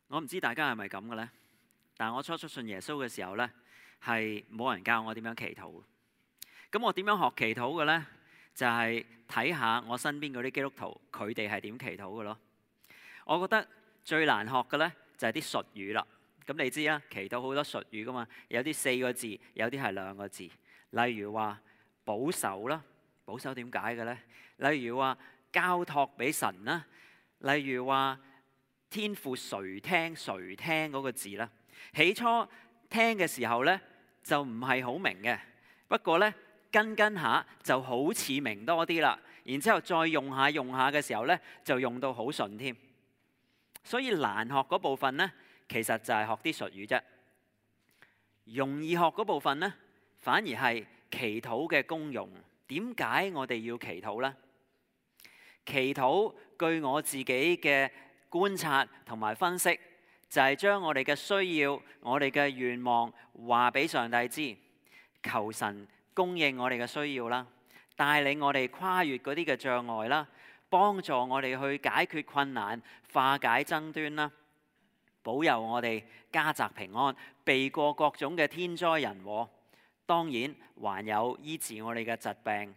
我唔知大家係咪咁嘅呢？但我初信耶穌嘅時候呢，係冇人教我點樣祈禱。咁我點樣學祈禱嘅呢？就係睇下我身邊嗰啲基督徒，佢哋係點祈禱嘅咯。我覺得最難學嘅呢，就係啲術語啦。咁你知啦，祈禱好多術語噶嘛，有啲4個字，有啲係2個字。例如話保守啦，保守點解嘅呢？例如話交託俾神啦，例如話天父垂聽嗰個字啦。起初聽嘅時候呢，就唔係好明嘅，不過呢，跟下就好似明多啲啦。然之後再用下嘅時候呢，就用到好順添。所以難學嗰部分呢，其實就係學啲術語啫。容易學嗰部分呢，反而係祈禱嘅功用。點解我哋要祈禱呢？祈禱據我自己嘅觀察同埋分析，就係將我哋嘅需要、我哋嘅願望話俾上帝知，求神供應我哋嘅需要啦，帶領我哋跨越嗰啲嘅障礙啦，幫助我哋去解決困難、化解爭端啦，保佑我哋家宅平安，避過各種嘅天災人禍。當然還有醫治我哋嘅疾病，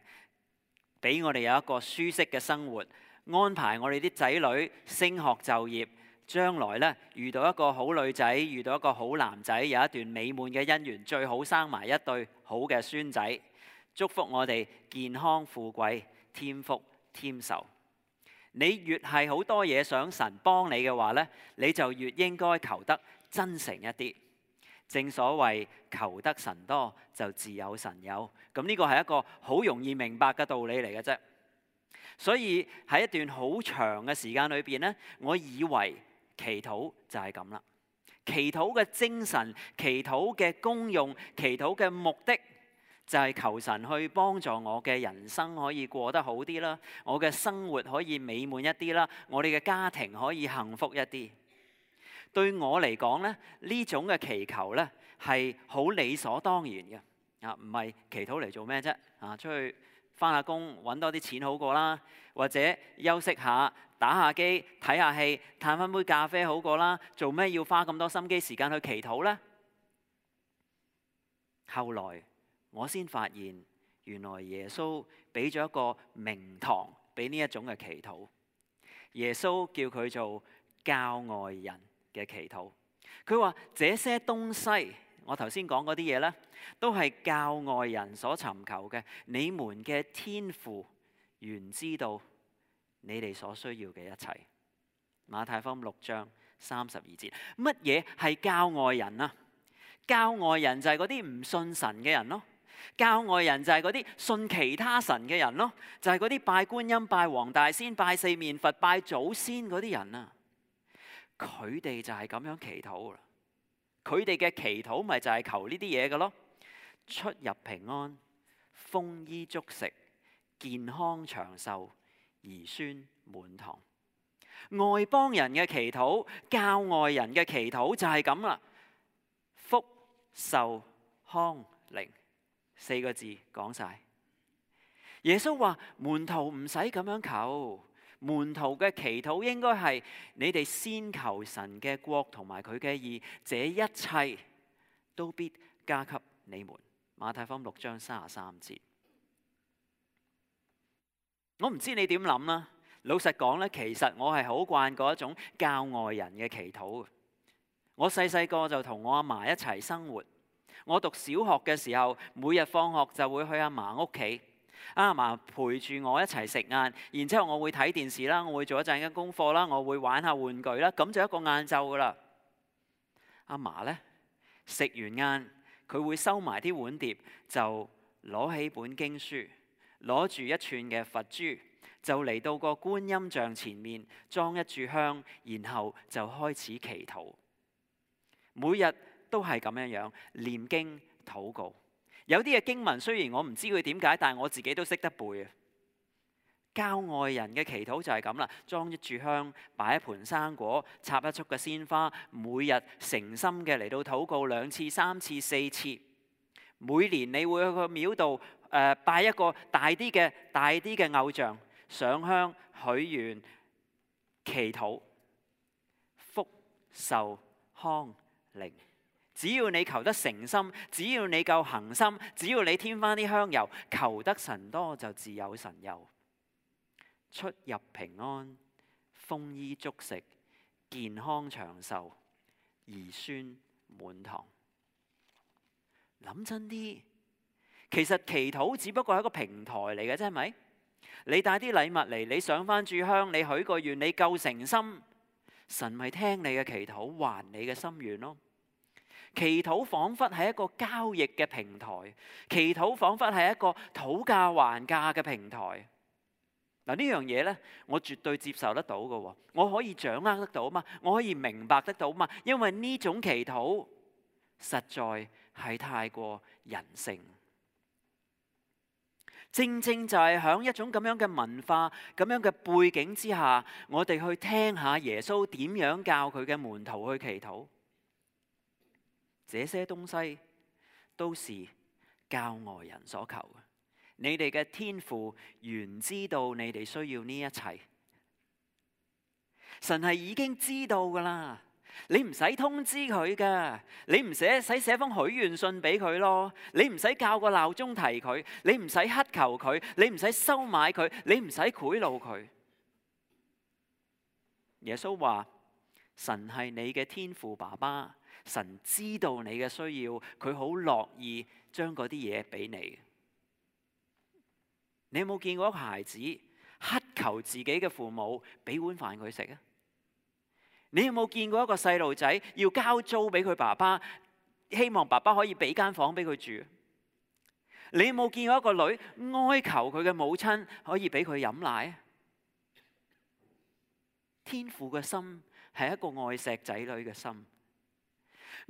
俾我哋有一個舒適嘅生活，安排我哋啲仔女升學就業，將來呢，遇到一個好女仔，遇到一個好男仔，有一段美滿嘅姻緣，最好生埋一對好嘅孫仔，祝福我哋健康富貴，添福添壽。你越係好多嘢想神幫你嘅話呢，你就越應該求得真誠一啲。正所謂求得神多就自有神有，咁呢個係一個好容易明白嘅道理嚟嘅啫。所以喺一段好長嘅時間裏邊呢，我以為祈禱就係咁啦。祈禱嘅精神、祈禱嘅功用、祈禱嘅目的，就係求神去幫助我嘅人生可以過得好啲啦，我嘅生活可以美滿一啲啦，我哋嘅家庭可以幸福一啲。對我嚟講咧，呢種嘅祈求咧係好理所當然嘅。唔係祈禱嚟做咩啫？出去返下工揾多啲錢好過啦，或者休息下打下機睇下戲嘆翻杯咖啡好過啦。做咩要花咁多心機時間去祈禱呢？後來我先發現，原來耶穌俾咗一個名堂俾呢一種嘅祈禱。耶穌叫佢做教外人嘅祈禱。佢話這些東西，我頭先講嗰啲嘢呢，都係教外人所尋求嘅。你們嘅天父原知道你哋所需要嘅一切。馬太福音6章32節，乜嘢係教外人啊？教外人就係嗰啲唔信神嘅人咯。教外人就係嗰啲信其他神嘅人咯，就係嗰啲拜觀音、拜黃大仙、拜四面佛、拜祖先嗰啲人啊。佢哋就係咁樣祈禱啦。佢哋嘅祈禱咪就係求呢啲嘢嘅咯，出入平安、豐衣足食、健康長壽、兒孫滿堂。外邦人嘅祈禱、教外人嘅祈禱就係咁啦，福壽康寧，4個字講晒。耶穌話門徒唔使咁樣求。門徒嘅祈禱應該係你哋先求神嘅國同埋佢嘅義，這一切都必加給你們。馬太福音6章33節。我唔知你點諗啦。老實講咧，其實我係好慣嗰一種教外人嘅祈禱。我細個就同我阿嫲一齊生活。我讀小學嘅時候，每日放學就會去阿嫲屋企。阿嫲陪住我一齊食晏，然之後我會睇電視啦，我會做一陣間功課啦，我會玩下玩具啦，咁就一個晏晝噶啦。阿嫲呢，食完晏，佢會收埋啲碗碟，就攞起本經書，攞住一串嘅佛珠，就嚟到個觀音像前面裝一炷香，然後就開始祈禱。每日都係咁樣念經禱告。有啲嘅經文雖然我唔知佢點解，但係我自己都識得背啊。教外人嘅祈禱就係咁啦，裝一炷香，擺一盤生果，插一束嘅鮮花，每日誠心嘅嚟到禱告2次、3次、4次。每年你會去個廟度拜一個大啲嘅偶像，上香許願祈禱，福受康寧。只要你求得誠心，只要你夠恆心，只要你添翻啲香油，求得神多就自有神佑。出入平安，豐衣足食，健康長壽，兒孫滿堂。諗真啲，其實祈禱只不過係一個平台嚟嘅啫，係咪？你帶啲禮物嚟，你上翻炷香，你許個願，你夠誠心，神咪聽你嘅祈禱，還你嘅心願咯。祈禱彷彿係一個交易嘅平台，祈禱彷彿係一個討價還價嘅平台。嗱，呢樣嘢呢，我絕對接受得到嘅，我可以掌握得到嘛，我可以明白得到嘛，因為呢種祈禱實在係太過人性。正正就係喺一種咁樣嘅文化、咁樣嘅背景之下，我哋去聽下耶穌點樣教佢嘅門徒去祈禱。這些東西都是教外人所求嘅。你哋嘅天父原知道你哋需要呢一切，神係已經知道噶啦，你唔使通知佢噶，你唔使寫封許願信俾佢咯，你唔使校個鬧鐘提佢，你唔使乞求佢，你唔使收買佢，你唔使賄賂佢。耶穌話：神係你嘅天父爸爸，神知道你嘅需要，佢好樂意將嗰啲嘢俾你。你有冇見過一個孩子乞求自己嘅父母俾碗飯佢食啊？你有冇見過一個細路仔要交租俾佢爸爸，希望爸爸可以俾間房俾佢住？你有冇見過一個女哀求佢嘅母親可以俾佢飲奶？天父嘅心係一個愛錫仔女嘅心。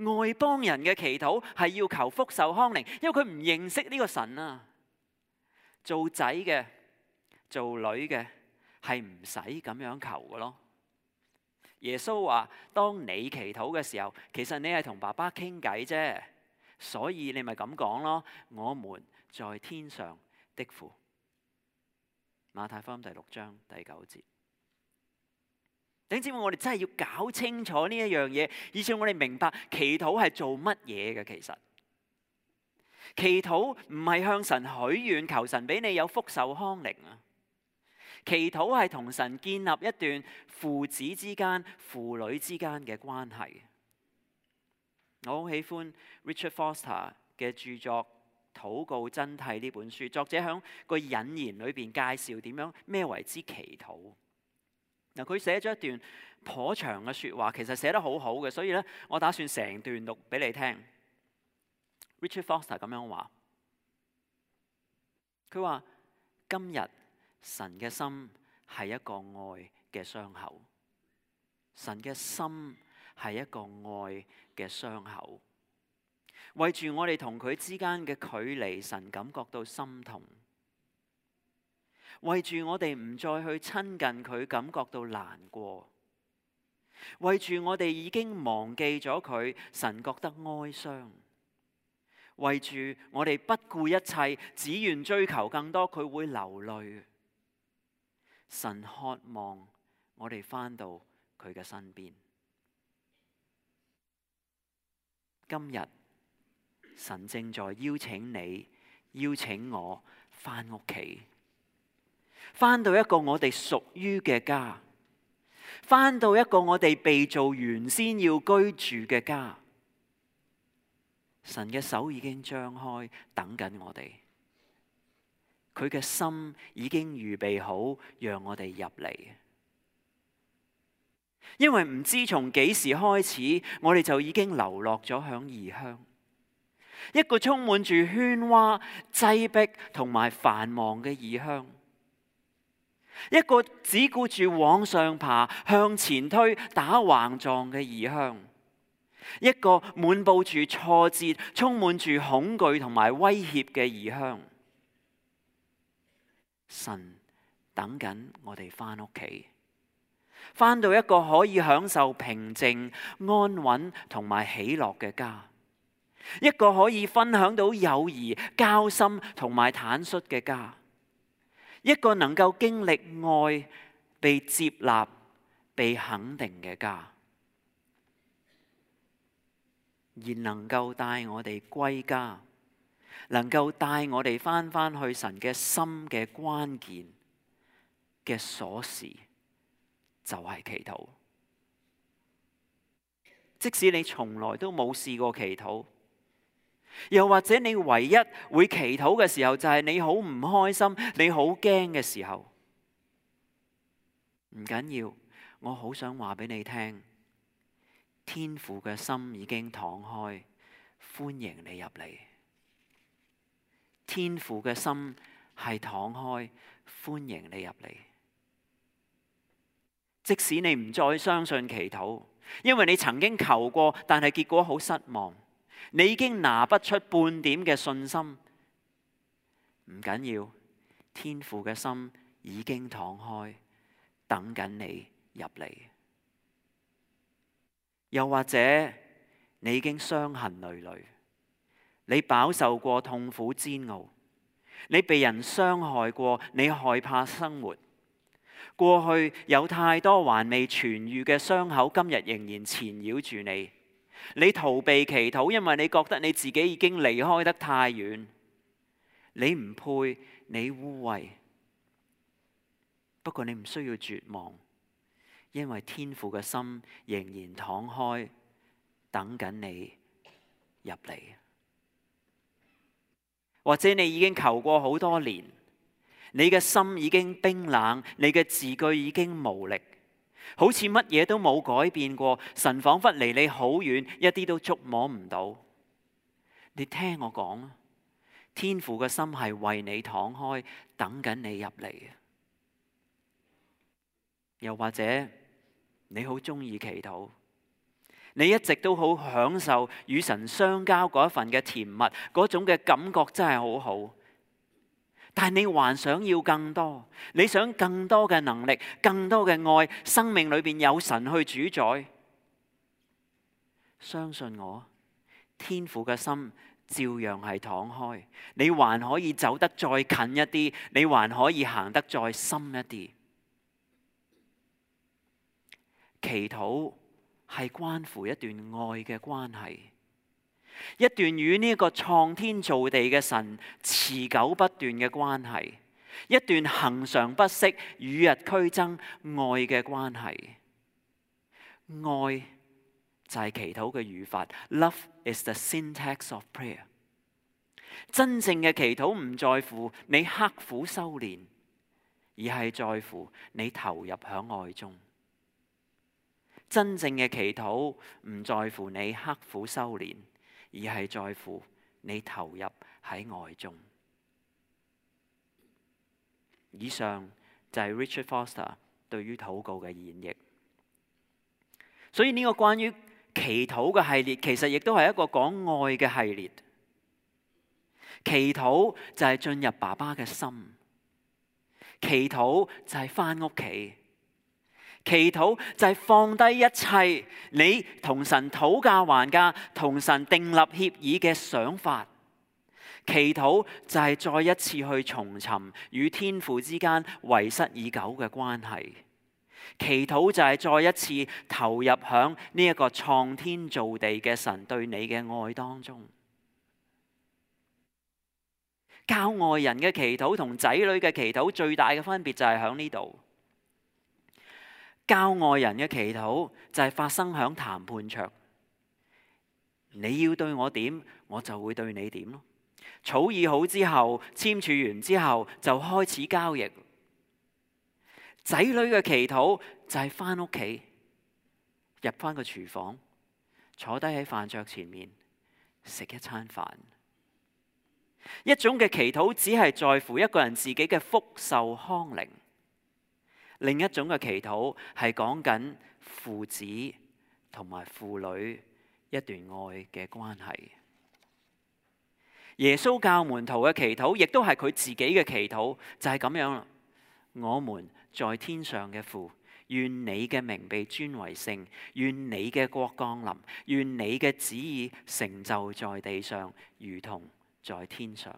外邦人嘅祈禱係要求福壽康寧，因為佢唔認識呢個神啊。做仔嘅、做女嘅係唔使咁樣求嘅咯。耶穌話：當你祈禱嘅時候，其實你係同爸爸傾偈啫，所以你咪咁講咯。我們在天上的父。馬太福音第6章第9節。弟兄姊妹，我哋真係要搞清楚呢一樣嘢，以至我哋明白祈禱係做乜嘢嘅。其實祈禱唔係向神許願，求神俾你有福壽康寧啊！祈禱係同神建立一段父子之間、父女之間嘅關係。我好喜歡 Richard Foster 嘅著作《禱告真諦》呢本書，作者喺個引言裏邊介紹點樣咩為之祈禱。嗱，佢寫咗一段頗長嘅説話，其實寫得好好嘅，所以咧，我打算成段讀俾你聽。Richard Foster 咁樣話，佢話：今日神嘅心係一個愛嘅傷口，神嘅心係一個愛嘅傷口，為住我哋同佢之間嘅距離，神感覺到心痛。為住我哋唔再去親近佢，感覺到難過；為住我哋已經忘記咗佢，神覺得哀傷；為住我哋不顧一切，只願追求更多，佢會流淚。神渴望我哋返到佢嘅身邊。今日神正在邀請你，邀請我返屋企。返到一個我哋屬於嘅家，返到一個我哋被造原先要居住嘅家。神嘅手已經張開，等緊我哋。佢嘅心已經預備好，讓我哋入嚟。因為唔知從幾時開始，我哋就已經流落咗響異鄉，一個充滿住喧嘩、擠迫同埋繁忙嘅異鄉。一個只顧住往上爬、向前推、打橫撞嘅異鄉，一個滿布住挫折、充滿住恐懼同埋威脅嘅異鄉。神等緊我哋返屋企，返到一個可以享受平靜、安穩同埋喜樂嘅家，一個可以分享到友誼、交心同埋坦率嘅家。一個能夠經歷愛、被接納、被肯定嘅家。而能夠帶我哋歸家，能夠帶我哋返去神嘅心嘅關鍵嘅鎖匙，就係祈禱。即使你從來都冇試過祈禱，又或者你唯一會祈禱嘅時候就係你好唔開心、你好驚嘅時候，唔緊要，我好想話俾你聽，天父嘅心已經敞開，歡迎你入嚟。天父嘅心係敞開，歡迎你入嚟。即使你唔再相信祈禱，因為你曾經求過，但係結果好失望，你已經拿不出半點嘅信心，唔緊要，天父嘅心已經敞開，等緊你入嚟。又或者你已經傷痕累累，你飽受過痛苦煎熬，你被人傷害過，你害怕生活。過去有太多還未痊癒嘅傷口，今日仍然纏繞住你。你逃避祈禱，因為你覺得你自己已經離開得太遠。你唔配，你污穢。不過你唔需要絕望，因為天父嘅心仍然敞開，等緊你入嚟。或者你已經求過好多年，你嘅心已經冰冷，你嘅字句已經無力，好似乜嘢都冇改變過，神彷彿離你好遠，一啲都觸摸唔到。你聽我講啊，天父嘅心係為你敞開，等緊你入嚟。又或者你好鍾意祈禱，你一直都好享受與神相交嗰一份嘅甜蜜，嗰種嘅感覺真係好好。但係你還想要更多，你想更多嘅能力，更多嘅愛，生命裏邊有神去主宰。相信我，天父嘅心照樣係敞開，你還可以走得再近一啲，你還可以行得再深一啲。祈禱係關乎一段愛嘅關係，一段與呢個創天造地嘅神持久不斷嘅關係，一段恆常不息、與日俱增愛嘅關係。愛就係祈禱嘅語法。Love is the syntax of prayer。真正嘅祈禱唔在乎你刻苦修練，而係在乎你投入響愛中。真正嘅祈禱唔在乎你刻苦修練，而係在乎你投入喺愛中。以上就係 Richard Foster 對於禱告嘅演繹。所以呢個關於祈禱嘅系列，其實亦都係一個講愛嘅系列。祈禱就係進入爸爸嘅心，祈禱就係返屋企。祈禱就係放低一切你同神討價還價、同神訂立協議嘅想法。祈禱就係再一次去重尋與天父之間遺失已久嘅關係。祈禱就係再一次投入響呢一個創天造地嘅神對你嘅愛當中。教外人嘅祈禱同仔女嘅祈禱最大嘅分別就係響呢度。教外人嘅祈禱就係發生響談判桌，你要對我點，我就會對你點咯。草擬好之後，簽署完之後就開始交易。仔女嘅祈禱就係返屋企，入返個廚房，坐低喺飯桌前面食一餐飯。一種嘅祈禱只係在乎一個人自己嘅福壽康寧。另一種嘅祈禱係講緊父子同埋父女一段愛嘅關係。耶穌教門徒嘅祈禱，亦都係佢自己嘅祈禱，就係咁樣啦。我們在天上嘅父，願你嘅名被尊為聖，願你嘅國降臨，願你嘅旨意成就在地上，如同在天上。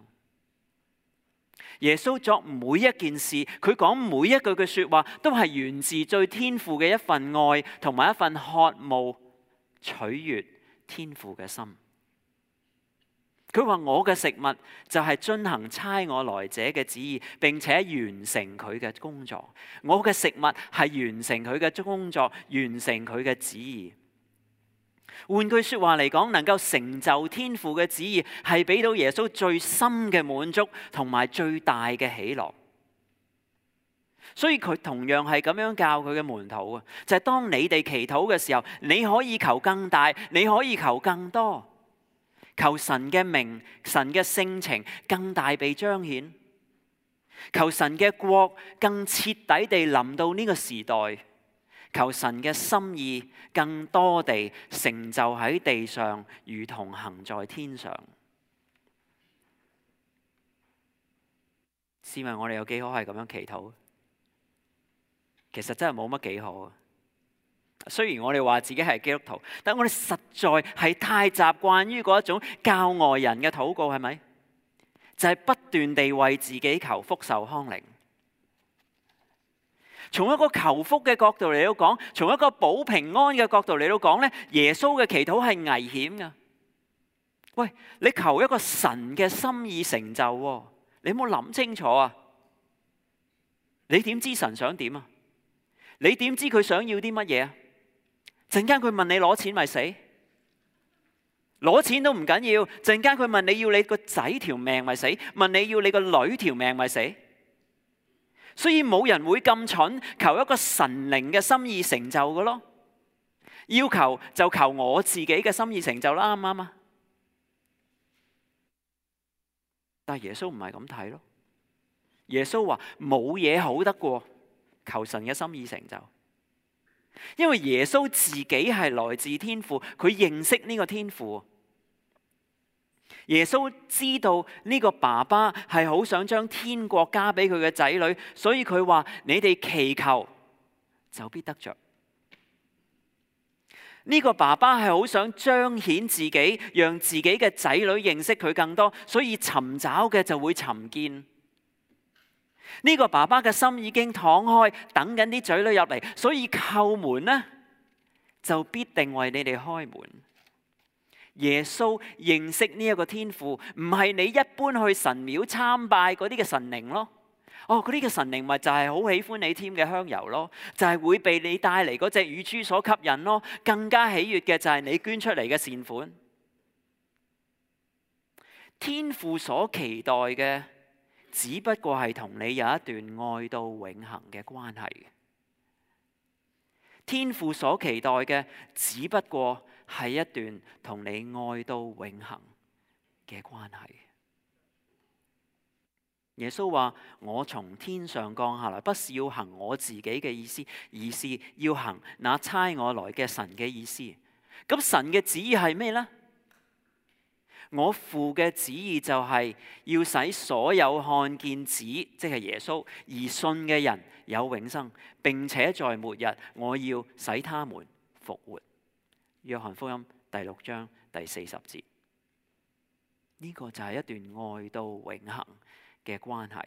耶穌作每一件事，佢講每一句嘅說話，都係源自對天父嘅一份愛，同埋一份渴慕取悅天父嘅心。佢話我嘅食物就係遵行差我來者嘅旨意，並且完成佢嘅工作。我嘅食物係完成佢嘅工作，完成佢嘅旨意。換句說話嚟講，能夠成就天父嘅旨意，係俾到耶穌最深嘅滿足同埋最大嘅喜樂。所以佢同樣係咁樣教佢嘅門徒啊，就係當你哋祈禱嘅時候，你可以求更大，你可以求更多。求神嘅名、神嘅性情更大被彰顯，求神嘅國更徹底地臨到呢個時代，求神嘅心意更多地成就喺地上，如同行在天上。試問我哋有幾可係咁樣祈禱？其實真係冇乜幾可。雖然我哋話自己係基督徒，但我哋實在係太習慣於嗰一種教外人嘅禱告，係咪？就係不斷地為自己求福壽康寧。從一個求福嘅角度嚟到講，從一個保平安嘅角度嚟到講咧，耶穌嘅祈禱係危險㗎。喂，你求一個神嘅心意成就，你有冇諗清楚啊？你點知神想點啊？你點知佢想要啲乜嘢啊？陣間佢問你攞錢咪死，攞錢都唔緊要。陣間佢問你要你個仔條命咪死，問你要你個女條命咪死。所以冇人會咁蠢求一個神靈嘅心意成就嘅咯。要求就求我自己嘅心意成就啦，啱唔啱啊？但係耶穌唔係咁睇咯。耶穌話冇嘢好得過求神嘅心意成就。因為耶穌自己係來自天父，佢認識呢個天父。耶穌知道呢個爸爸係好想將天國加俾佢嘅仔女，所以佢話你哋祈求就必得着。呢個爸爸係好想彰顯自己，讓自己嘅仔女認識佢更多，所以尋找嘅就會尋見。呢個爸爸嘅心已經敞開，等緊啲仔女入嚟，所以叩門呢，就必定為你哋開門。耶穌認識呢一個天父，唔係你一般去神廟參拜嗰啲嘅神靈咯。嗰啲嘅神靈咪就係好喜歡你添嘅香油咯，就係會被你帶嚟嗰隻乳豬所吸引咯。更加喜悅嘅就係你捐出嚟嘅善款。天父所期待嘅，只不過係同你有一段愛到永恆嘅關係。天父所期待嘅，只不過係一段同你愛到永恆嘅關係。耶穌話：我從天上降下來，不是要行我自己嘅意思，而是要行那差我來嘅神嘅意思。咁神嘅旨意係咩呢？我父嘅旨意就係要使所有看見子，即係耶穌而信嘅人有永生，並且在末日我要使他們復活。約翰福音第6章第40節，呢個就係一段愛到永恆嘅關係。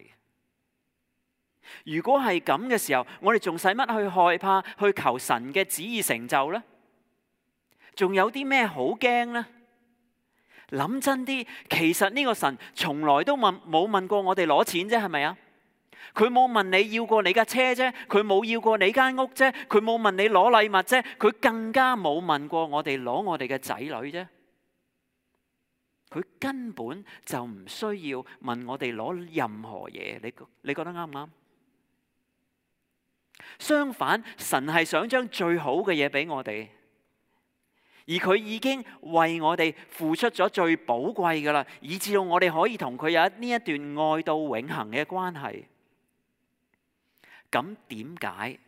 如果係咁嘅時候，我哋仲使乜去害怕去求神嘅旨意成就呢？仲有啲咩好驚呢？諗真啲，其實呢個神從來都冇問過我哋攞錢啫，係咪啊？佢冇問你要過你架車啫，佢冇要過你間屋啫，佢冇問你攞禮物啫，佢更加冇問過我哋攞我哋嘅仔女啫。佢根本就唔需要問我哋攞任何嘢，你覺得啱唔啱？相反，神係想將最好嘅嘢俾我哋。而佢已經為我哋付出咗最寶貴㗎喇，以至到我哋可以同佢有呢一段愛到永恆嘅關係。咁點解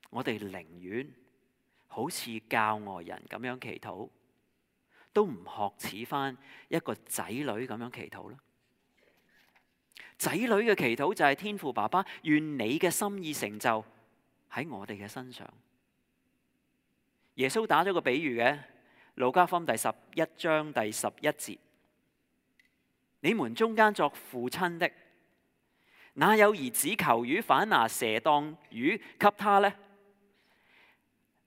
我哋寧願好似教外人咁樣祈禱，都唔學似返一個仔女咁樣祈禱呢？仔女嘅祈禱就係天父爸爸，願你嘅心意成就喺我哋嘅身上。耶穌打咗個比喻嘅，路加福音第11章第11節，你們中間作父親的，哪有兒子求魚反拿蛇當魚給他呢？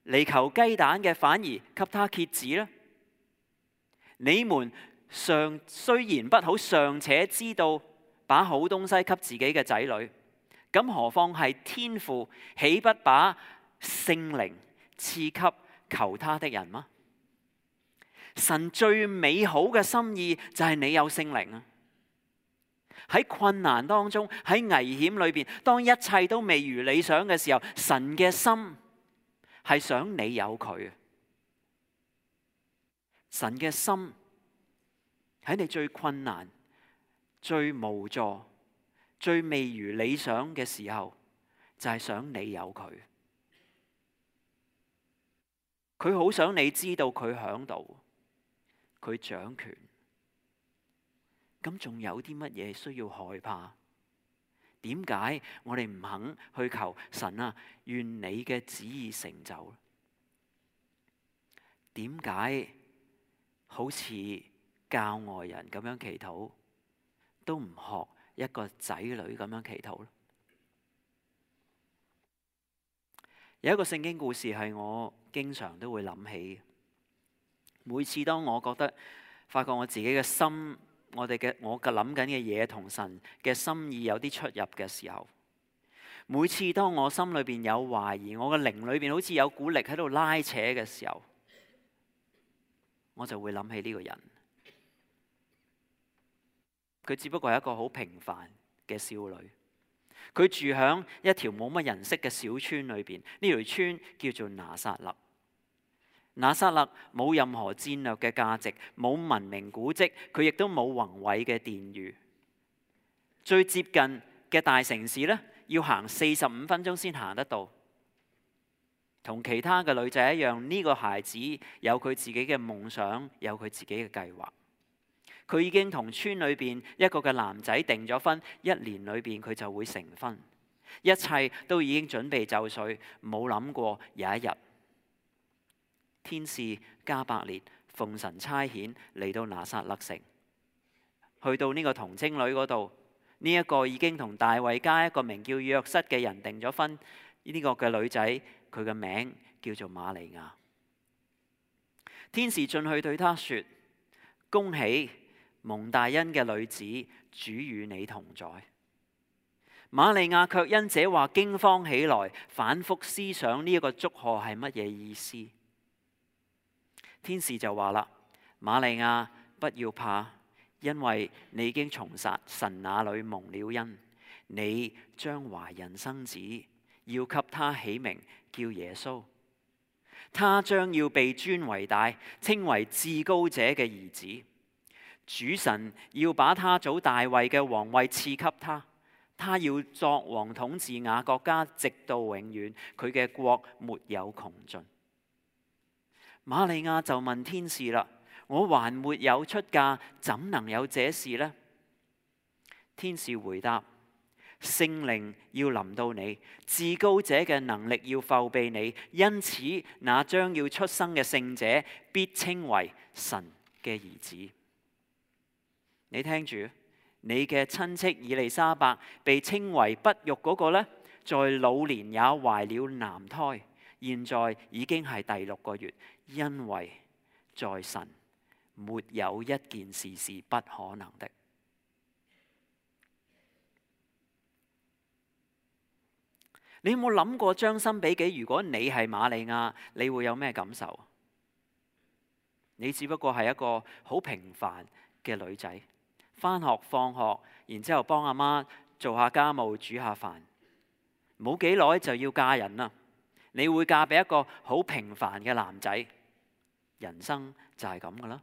嚟求雞蛋嘅反而給他蠍子呢？你們雖然不好，尚且知道把好東西給自己嘅仔女，咁何況係天父，豈不把聖靈賜給求他的人嗎？神最美好嘅心意就係你有聖靈啊！喺困難當中，喺危險裏邊，當一切都未如理想嘅時候，神嘅心係想你有佢。神嘅心喺你最困難、最無助、最未如理想嘅時候，就係想你有佢。佢好想你知道佢喺度，佢掌權。咁仲有啲乜嘢需要害怕？點解我哋唔肯去求神啊？願你嘅旨意成就。點解好似教外人咁樣祈禱，都唔學一個仔女咁樣祈禱？有一個聖經故事係我經常都會諗起。每次當我發覺我自己嘅心，我嘅諗緊嘅嘢同神嘅心意有啲出入嘅時候，每次當我心裏邊有懷疑，我嘅靈裏邊好似有股力喺度拉扯嘅時候，我就會諗起呢個人。佢只不過係一個好平凡嘅少女，佢住響一條冇乜人識嘅小村裏邊。呢條村叫做拿撒勒。拿撒勒冇任何戰略嘅價值，冇文明古蹟，佢亦都冇宏偉嘅殿宇。最接近嘅大城市呢，要行45分鐘先行得到。同其他嘅女仔一樣，呢個孩子有佢自己嘅夢想，有佢自己嘅計劃。佢已經同村裏邊一個嘅男仔訂咗婚，1年裏邊佢就會成婚，一切都已經準備就緒，冇諗過有一日，天使加百列奉神差遣嚟到拿撒勒城，去到呢個童貞女嗰度，呢一個已經同大衛家一個名叫約瑟嘅人訂咗婚，呢個嘅女仔佢嘅名叫做瑪利亞。天使進去對她說：恭喜，蒙大恩嘅女子，主與你同在。瑪利亞卻因這話驚慌起來，反覆思想呢一個祝賀係乜嘢意思。天使就話啦：瑪利亞，不要怕，因為你已經從神那裏蒙了恩，你將懷孕生子，要給他起名叫耶穌。他將要被尊為大，稱為至高者嘅兒子。主神要把他祖大衛嘅皇位賜給他，他要作王統治雅各家，直到永遠，佢嘅國沒有窮盡。瑪利亞就問天使啦：我還沒有出嫁，怎能有這事呢？天使回答：聖靈要臨到你，至高者嘅能力要覆庇你，因此那將要出生嘅聖者必稱為神嘅兒子。你聽住，你嘅親戚以利沙伯被稱為不育嗰個呢，在老年也懷了男胎，現在已經係第6個月，因為在神沒有一件事是不可能的。你有冇諗過將心比己？如果你係瑪利亞，你會有咩感受？你只不過係一個好平凡嘅女仔，返學放學，然之後幫阿媽做下家務，煮下飯，冇幾耐就要嫁人啦。你會嫁俾一個好平凡嘅男仔，人生就係咁噶啦。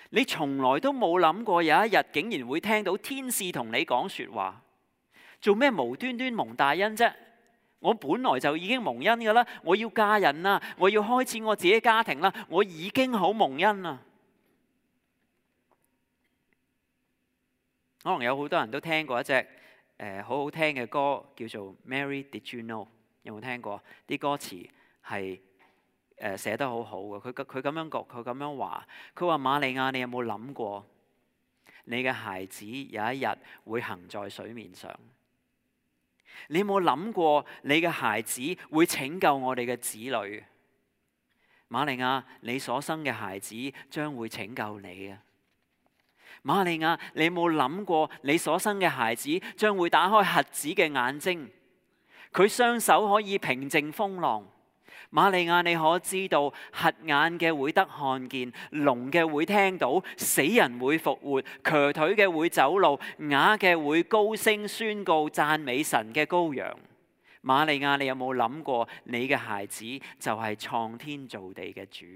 你從來都冇諗過有一日竟然會聽到天使同你講說話，做咩無端端蒙大恩啫？我本來就已經蒙恩噶啦，我要嫁人啦，我要開始我自己家庭啦，我已經好蒙恩啦。可能有好多人都聽過一隻好好聽嘅歌，叫做《Mary Did You Know》，有冇聽過？啲歌詞係寫得好好嘅。佢咁樣講，佢咁樣話，佢話：瑪利亞，你有冇諗過，你嘅孩子有一日會行在水面上？你有冇諗過你嘅孩子會拯救我哋嘅子女？瑪利亞，你所生嘅孩子將會拯救你啊！瑪利亞，你有冇諗過你所生嘅孩子將會打開瞎子嘅眼睛？佢雙手可以平靜風浪。瑪利亞，你可知道瞎眼嘅會得看見，聾嘅會聽到，死人會復活，瘸腿嘅會走路，啞嘅會高聲宣告讚美神嘅羔羊。瑪利亞，你有冇諗過你嘅孩子就係創天造地嘅主？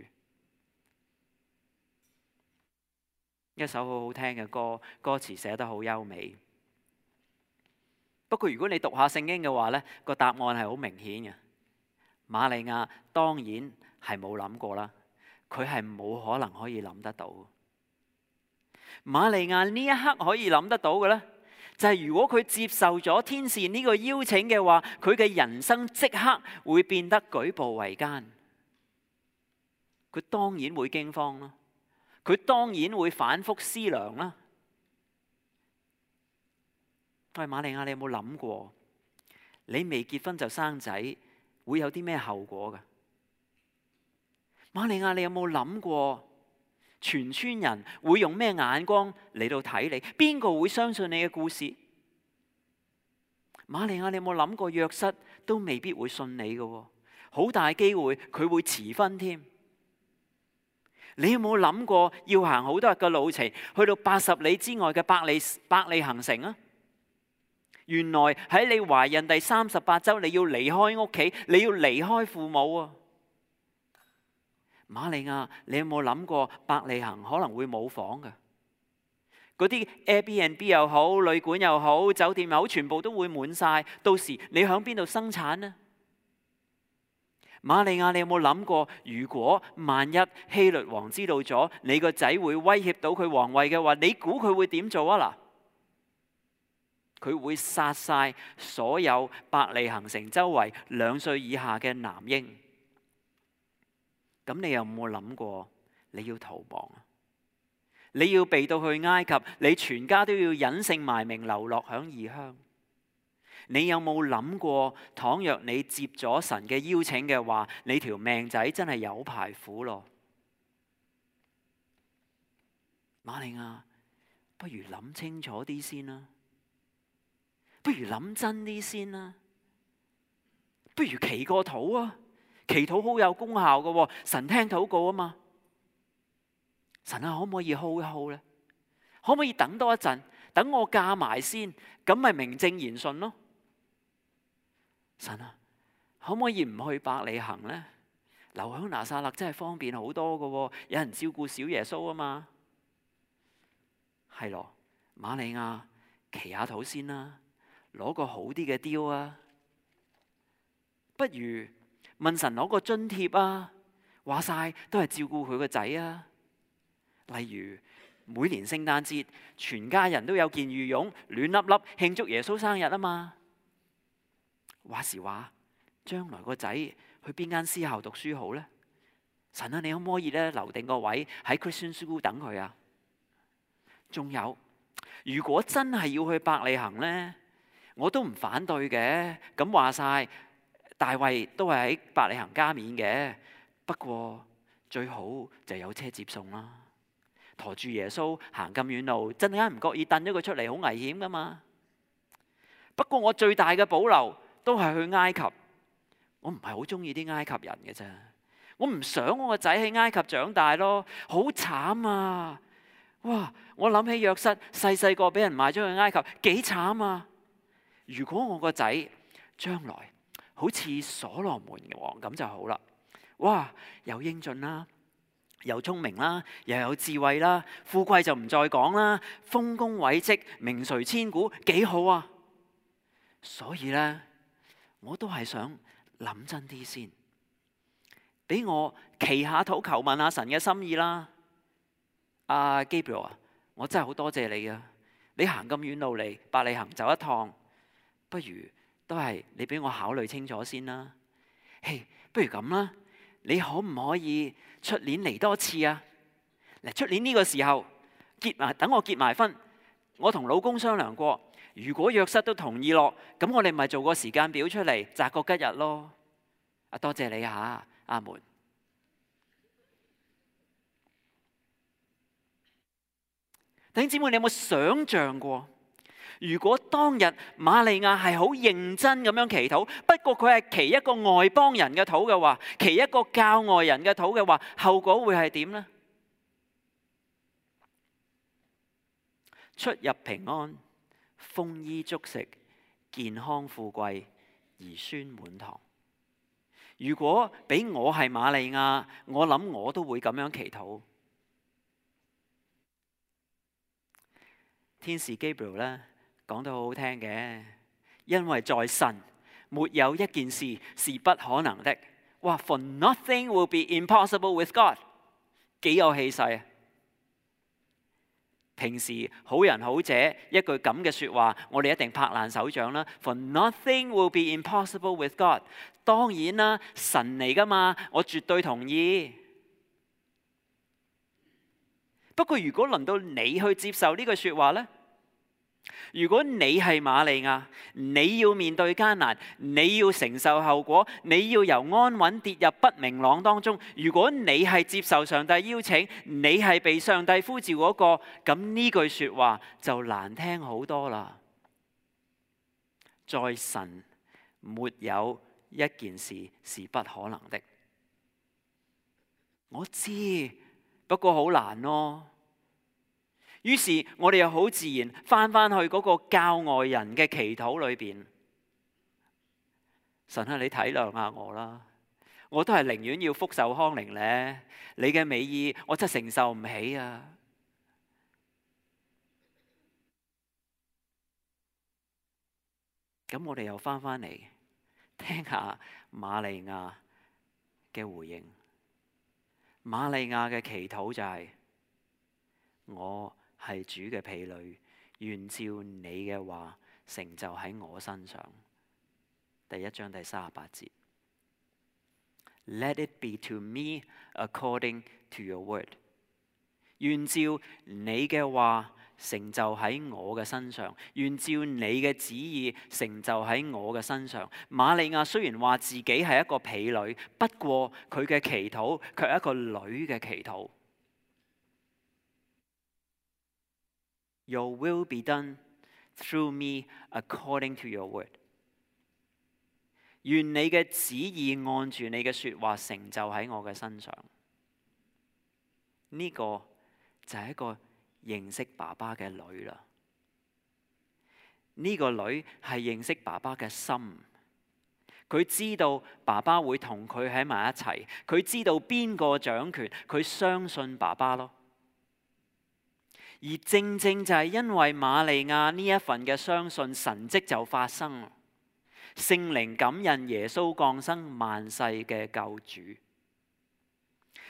一首好好聽嘅歌，歌詞寫得好優美。不過如果你讀下聖經嘅話，呢個答案係好明顯嘅。瑪利亞當然係冇諗過啦，佢係冇可能可以諗得到。瑪利亞呢一刻可以諗得到嘅呢，就係如果佢接受咗天使呢個邀請嘅話，佢嘅人生即刻會變得舉步維艱。佢當然會驚慌啦，佢當然會反覆思量啦。喂，瑪利亞，你有冇諗過，你未結婚就生仔會有啲咩後果㗎？瑪利亞，你有冇諗過全村人會用咩眼光嚟到睇你？邊個會相信你嘅故事？瑪利亞，你有冇諗過約瑟都未必會信你嘅？好大機會佢會遲婚添。你有冇諗過要行好多日嘅路程，去到80里之外嘅伯利恆城啊？原來喺你懷孕第38週，你要離開屋企，你要離開父母啊！瑪利亞，你有冇諗過伯利恆可能會冇房㗎？嗰啲 Airbnb 又好，旅館又好，酒店又好，全部都會滿晒。到時你響邊度生產呢？瑪利亞，你有冇諗過，如果萬一希律王知道咗你個仔會威脅到佢皇位嘅話，你估佢會點做啊？嗱，佢會殺晒所有伯利恆城周圍2歲以下嘅男嬰。咁你有冇諗過你要逃亡啊？你要避到去埃及，你全家都要隱姓埋名流落響異鄉。你有冇諗過，倘若你接咗神嘅邀請嘅話，你條命仔真係有排苦咯？瑪利亞，不如諗清楚啲先啦，不如諗真啲先啦，不如祈個禱啊！祈禱好有功效嘅，神聽禱告啊嘛。神啊，可唔可以 hold 一 hold 咧？可唔可以等多一陣，等我嫁埋先，咁咪名正言順咯？神啊，可唔可以唔去伯利恆呢？留喺拿撒勒真係方便好多嘅，有人照顧小耶穌啊嘛。係咯，瑪利亞，祈下禱先啦，攞個好啲嘅雕啊，不如問神攞個津貼啊，話晒都係照顧佢個仔啊。例如每年聖誕節，全家人都有件羽絨，暖粒粒慶祝耶穌生日啊嘛。話時話，將來個仔去邊間私校讀書好呢？神啊，你可唔可以咧留定個位喺 Christian School 等佢啊？仲有，如果真係要去伯利恆呢，我都唔反對嘅。咁話晒，大衛都係喺伯利恆加冕嘅。不過最好就有車接送啦。馱住耶穌行咁遠路，真係唔覺意掟咗佢出嚟，好危險噶嘛。不過我最大嘅保留都係去埃及。我唔係好中意啲埃及人嘅啫，我唔想我個仔喺埃及長大咯，好慘啊！哇！我諗起約瑟細細個俾人賣咗去埃及，幾慘啊！如果我個仔將來好似所羅門王咁就好啦。哇！又英俊啦，又聰明啦，又有智慧啦，富貴就唔再講啦，豐功偉績，名垂千古，幾好啊！所以呢，我都係想諗真啲先，俾我祈下禱求問下神嘅心意啦。阿 Gabriel 啊，我真係好多謝你啊！你行咁遠路嚟伯利恆走一趟，不如都係你俾我考慮清楚先啦。嘿，不如咁啦，你可唔可以出年嚟多次啊？嚟出年呢個時候等我結埋婚，我同老公商量過，如果約瑟都同意咯，咁我哋咪做個時間表出嚟，擇個吉日咯。多謝你嚇，阿門。弟兄姊妹，你有冇想像過？如果當日瑪利亞係好認真咁樣祈禱，不過佢係祈一個外邦人嘅禱嘅話，祈一個教外人嘅禱嘅話，後果會係點呢？出入平安，豐衣足食，健康富貴，兒孫滿堂。如果俾我係瑪利亞，我諗我都會咁樣祈禱。天使 Gabriel 咧講得好好聽嘅，因為在神沒有一件事是不可能的。哇 ！For nothing will be impossible with God， 幾有氣勢啊！平時好人好姐一句咁嘅説話，我哋一定拍爛手掌啦。For nothing will be impossible with God。當然啦，神嚟㗎嘛，我絕對同意。不過如果輪到你去接受呢句説話呢？如果你係瑪利亞，你要面對艱難，你要承受後果，你要由安穩跌入不明朗當中。如果你係接受上帝邀請，你係被上帝呼召嗰個，咁呢句説話就難聽好多啦。在神沒有一件事是不可能的。我知，不過好難咯。於是我哋又好自然翻去嗰個教外人嘅祈禱裏邊。神啊，你體諒下我啦，我都係寧願要福壽康寧咧。你嘅美意我真係承受唔起啊！咁我哋又翻嚟聽下瑪利亞嘅回應。瑪利亞嘅祈禱就係：我係主嘅婢女，願照你嘅話成就喺我身上。第1章第38節。Let it be to me according to your word。願照你嘅話成就喺我嘅身上，願照你嘅旨意成就喺我嘅身上。瑪利亞雖然話自己係一個婢女，不過佢嘅祈禱卻係一個女嘅祈禱。Your will be done through me according to your word。願你嘅旨意按住你嘅說話成就喺我嘅身上。呢個就係一個認識爸爸嘅女啦。呢個女係認識爸爸嘅心，佢知道爸爸會同佢喺埋一齊，佢知道邊個掌權，佢相信爸爸咯。而正正就係因為瑪利亞呢一份嘅相信，神蹟就發生。聖靈感孕耶穌降生，萬世嘅救主。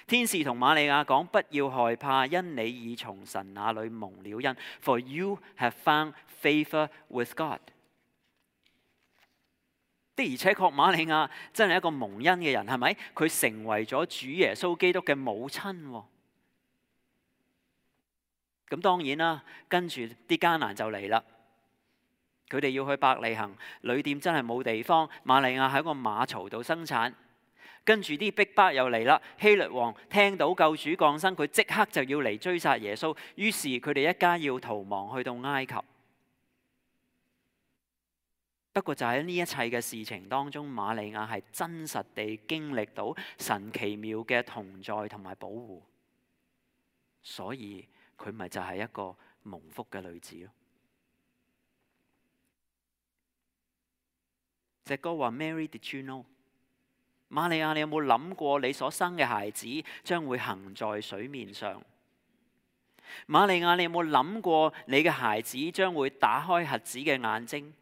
天使同瑪利亞講：不要害怕，因你已從神那裏蒙了恩。For you have found favor with God。的而且確，瑪利亞真係一個蒙恩嘅人，係咪？佢成為咗主耶穌基督嘅母親。咁當然啦，跟住啲艱難就嚟啦。佢哋要去伯利恆，旅店真係冇地方。瑪利亞喺個馬槽度生產，跟住啲逼迫又嚟啦。希律王聽到救主降生，佢即刻就要嚟追殺耶穌。於是佢哋一家要逃亡去到埃及。不過就喺呢一切嘅事情當中，瑪利亞係真實地經歷到神奇妙嘅同在同埋保護，所以佢咪就係一個蒙福嘅女子咯。隻歌話 Mary did you know？ 瑪利亞，你有冇諗過你所生嘅孩子將會行在水面上？瑪利亞，你有冇諗過你嘅孩子將會打開瞎子嘅眼睛？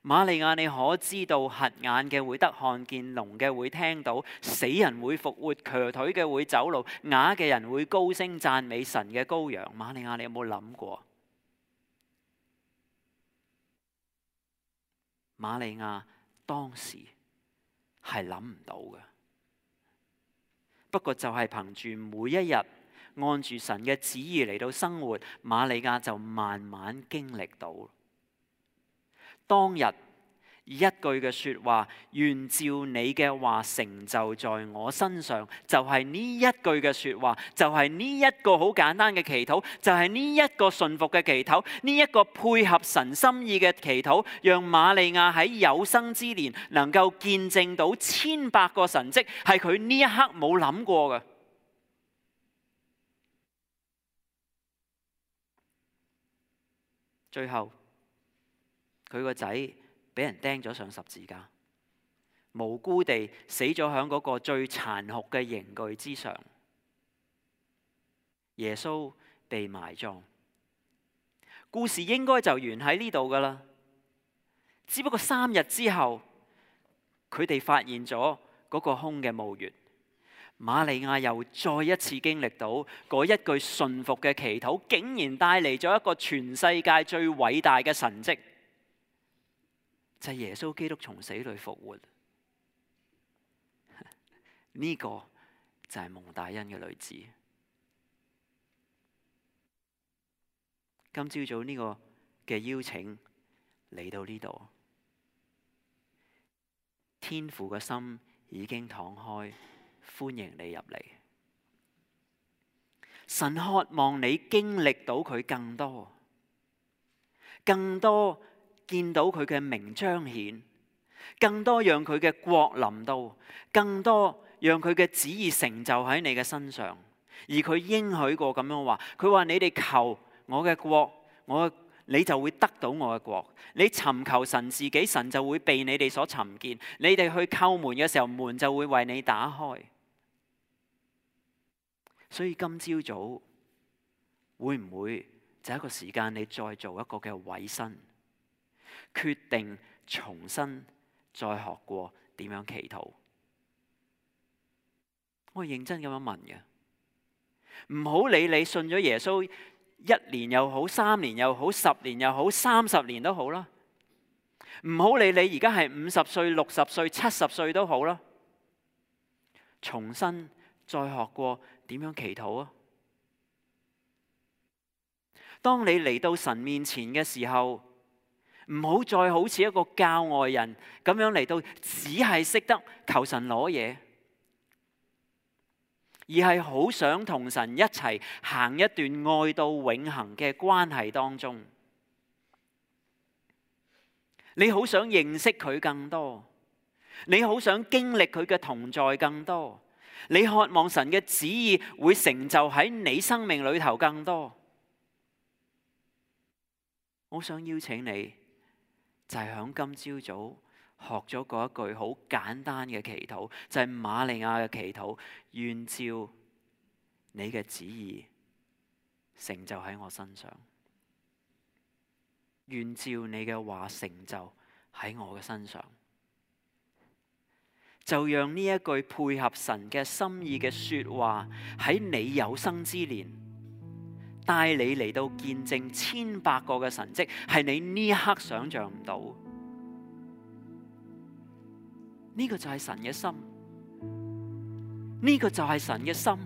瑪利亞，你可知道瞎眼嘅會得看見，聾嘅會聽到，死人會復活，瘸腿嘅會走路，啞嘅人會高聲讚美神嘅羔羊。瑪利亞，你有冇諗過？瑪利亞當時係諗唔到嘅，不過就係憑住每一日按住神嘅旨意嚟到生活，瑪利亞就慢慢經歷到。當日一句嘅說話，願照你嘅話成就在我身上，就係呢一句嘅說話，就係呢一個好簡單嘅祈禱，就係呢一個順服嘅祈禱，呢一個配合神心意嘅祈禱，讓瑪利亞喺有生之年能夠見證到1,100個神蹟，係佢呢一刻冇諗過嘅。最後佢個仔俾人釘咗上十字架，無辜地死咗喺嗰個最殘酷嘅刑具之上。耶穌被埋葬，故事應該就完喺呢度噶啦。只不過3日之後，佢哋發現咗嗰個空嘅墓穴。瑪利亞又再一次經歷到嗰一句順服嘅祈禱，竟然帶嚟咗一個全世界最偉大嘅神蹟，就係耶穌基督從死裏復活。呢個就係蒙大恩嘅女子。今朝早呢個嘅邀請嚟到呢度，天父嘅心已經敞開，歡迎你入嚟。神渴望你經歷到佢更多，更多見到佢嘅名彰顯，更多讓佢嘅國臨到，更多讓佢嘅旨意成就喺你嘅身上。而佢應許過咁樣話，佢話你哋求我嘅國，你就會得到我嘅國。你尋求神自己，神就會被你哋所尋見。你哋去叩門嘅時候，門就會為你打開。所以今朝早會唔會就係一個時間，你再做一個嘅委身，決定重新再學過點樣祈禱？我係認真咁樣問嘅，唔好理你信咗耶穌1年又好，3年又好，10年又好，30年都好啦。唔好理你而家係50歲、60歲、70歲都好啦。重新再學過點樣祈禱啊！當你嚟到神面前嘅時候，唔好再好似一個教外人咁樣嚟到，只係識得求神攞嘢，而係好想同神一齊行一段愛到永恆嘅關係當中。你好想認識佢更多，你好想經歷佢嘅同在更多，你渴望神嘅旨意會成就喺你生命裏頭更多。我想邀請你，就係響今朝早學咗嗰一句好簡單嘅祈禱，就係瑪利亞嘅祈禱，願照你嘅旨意成就喺我身上，願照你嘅話成就喺我嘅身上。就讓呢一句配合神嘅心意嘅說話，喺你有生之年帶你嚟到見證1,100個嘅神蹟，係你呢一刻想象唔到。呢個就係神嘅心，呢個就係神嘅心。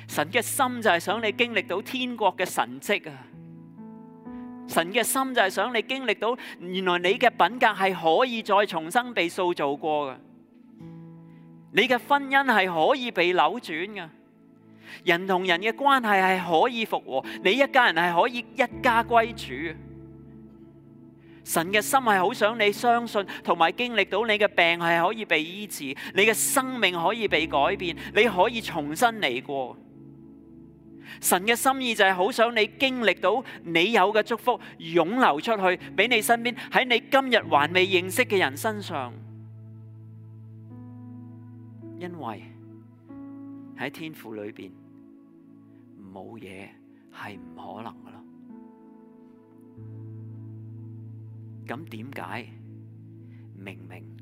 神嘅心就係想你經歷到天國嘅神蹟啊！神嘅心就係想你經歷到，原來你嘅品格係可以再重新被塑造過嘅，你嘅婚姻係可以被扭轉嘅，人同人嘅關係係可以復和，你一家人係可以一家歸主。神嘅心係好想你相信同埋經歷到你嘅病係可以被醫治，你嘅生命可以被改變，你可以重新嚟過。神嘅心意就係好想你經歷到你有嘅祝福湧流出去，俾你身邊喺你今日還未認識嘅人身上。因為喺天父裏邊冇嘢係唔可能噶咯。咁點解明明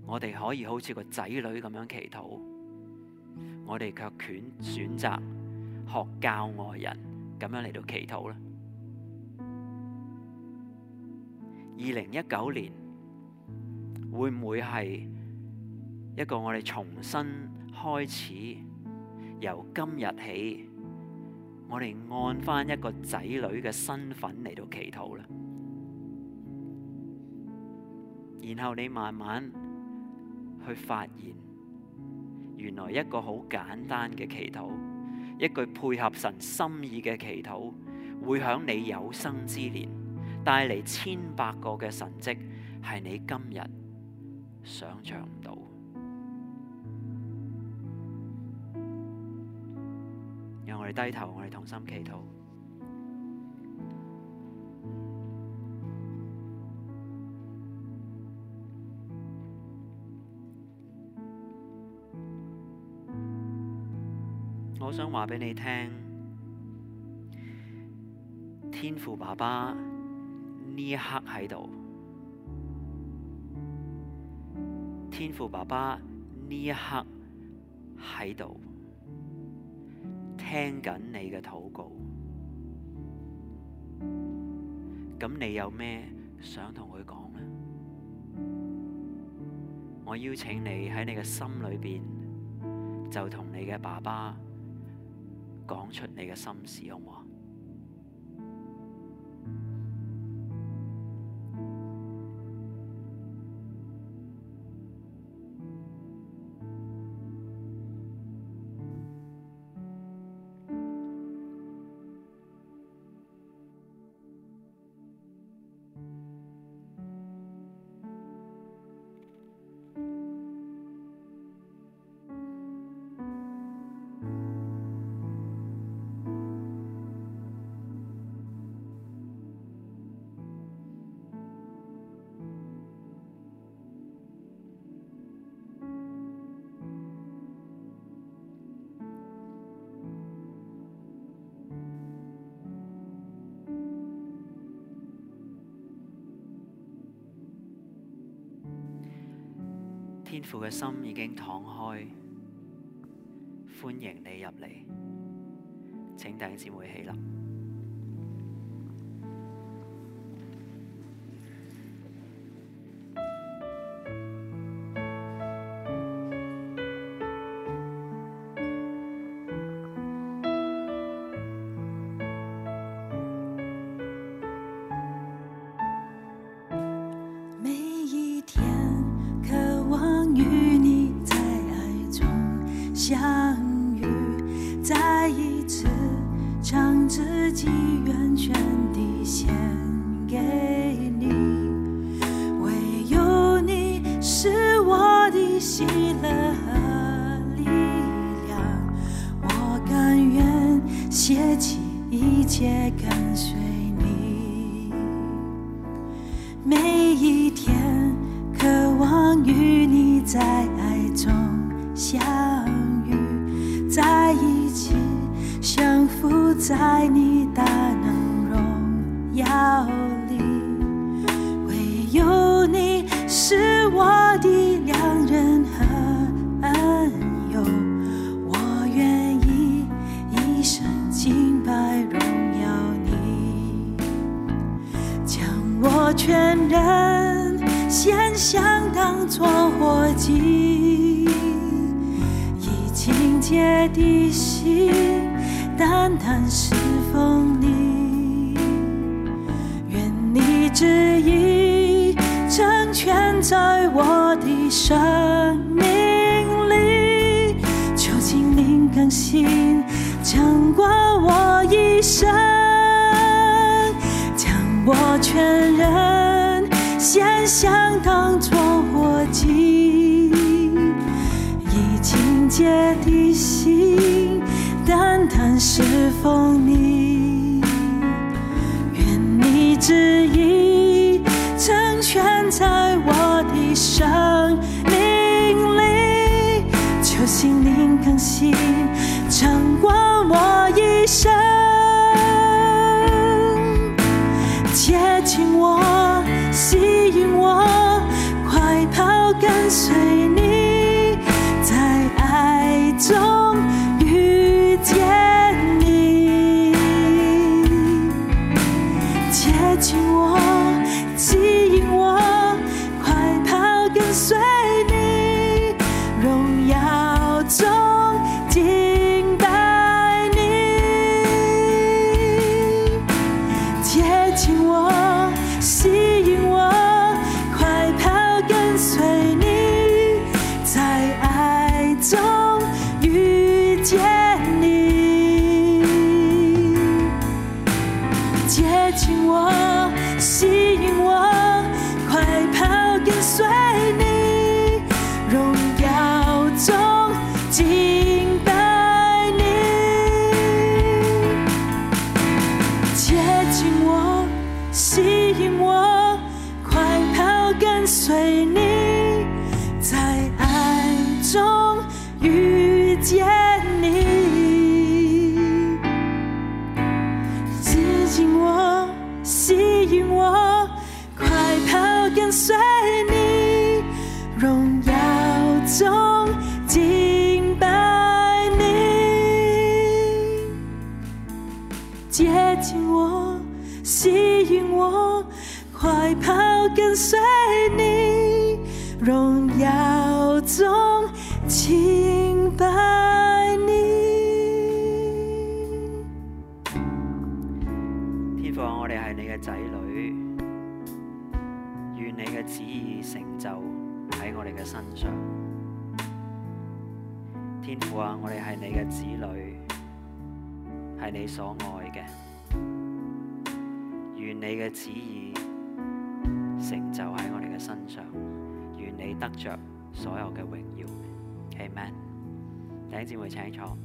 我哋可以好似個仔女咁樣祈禱，我哋卻選擇學教外人咁樣嚟到祈禱呢？2019年會唔會係一個我哋重新開始，由今日起，我哋按翻一個仔女嘅身份嚟到祈禱呢？然後你慢慢去發現，原來一個好簡單嘅祈禱，一句配合神心意嘅祈禱，會響你有生之年帶嚟1,100個嘅神蹟，係你今日想象唔到。讓我哋低頭，我哋同心祈禱。我想話俾你聽，天父爸爸呢一刻喺度，天父爸爸呢一刻喺度，聽緊你嘅禱告。咁你有咩想同佢講呢？我邀請你喺你嘅心裏邊，就同你嘅爸爸講出你嘅心事，好唔好？天父嘅心已經敞開，歡迎你入嚟。請弟兄姊妹起立。見你，接近我，吸引我，快跑跟隨你，榮耀中敬拜你，接近我，吸引我，快跑跟隨你，在愛中遇見你，接近我，吸引我，快跑跟隨你，榮耀中敬拜你，接近我，吸引我，快跑跟隨你，榮耀中敬拜你。天父啊，我哋係你嘅仔女，願你嘅旨意成就喺我哋嘅身上。天父啊，我哋係你嘅子女，係你所愛嘅，願你嘅旨意成就喺我哋嘅身上，願你得着所有嘅榮耀。Amen。弟兄姊妹請坐。